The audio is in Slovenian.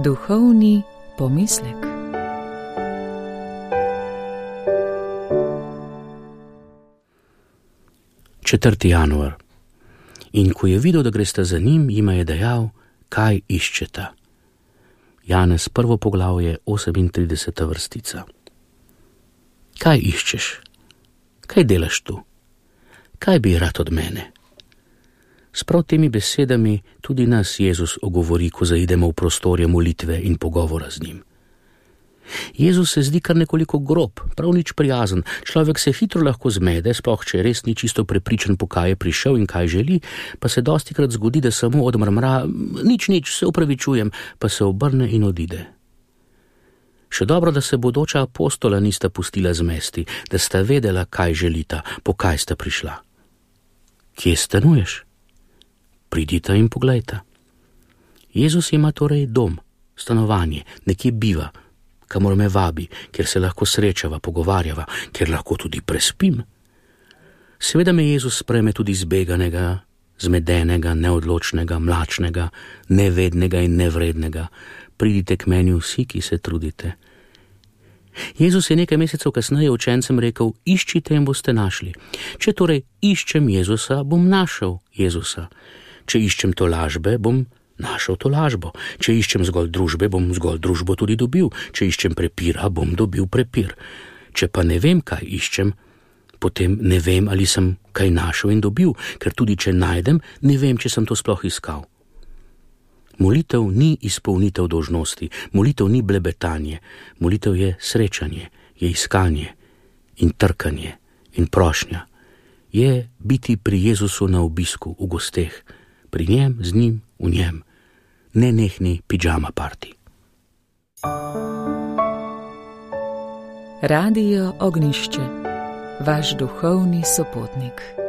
Duhovni pomislek. Četrti januar. In ko je videl, da gresta za njim, jima je dejal, kaj iščeta. Janez, 1. poglavje, 38. vrstica. Kaj iščeš? Kaj delaš tu? Kaj bi rad od mene? S prav temi besedami tudi nas Jezus ogovori, ko zaidemo v prostorje molitve in pogovora z njim. Jezus se zdi kar nekoliko grob, prav nič prijazen. Človek se hitro lahko zmede, sploh če res ni čisto prepričan, po kaj je prišel in kaj želi, pa se dostikrat zgodi, da samo odmrmra, nič, se opravičujem, pa se obrne in odide. Še dobro, da se bodoča apostola nista pustila zmesti, da sta vedela, kaj želita, po kaj sta prišla. Kje stanuješ? Pridita in poglejta. Jezus ima torej dom, stanovanje, nekje biva, kamor me vabi, kjer se lahko srečava, pogovarjava, kjer lahko tudi prespim. Seveda me Jezus sprejme tudi zbeganega, zmedenega, neodločnega, mlačnega, nevednega in nevrednega. Pridite k meni vsi, ki se trudite. Jezus je nekaj mesecev kasneje učencem rekel, iščite in boste našli. Če torej iščem Jezusa, bom našel Jezusa. Če iščem tolažbe, bom našel tolažbo. Če iščem zgolj družbe, bom zgolj družbo tudi dobil. Če iščem prepira, bom dobil prepir. Če pa ne vem, kaj iščem, potem ne vem, ali sem kaj našel in dobil, ker tudi če najdem, ne vem, če sem to sploh iskal. Molitev ni izpolnitev dolžnosti, molitev ni blebetanje, molitev je srečanje, je iskanje in trkanje in prošnja. Je biti pri Jezusu na obisku, v gosteh, pri njem, z njim, v njem. Nenehni pidžama party. Radio Ognjišče, vaš duhovni sopotnik.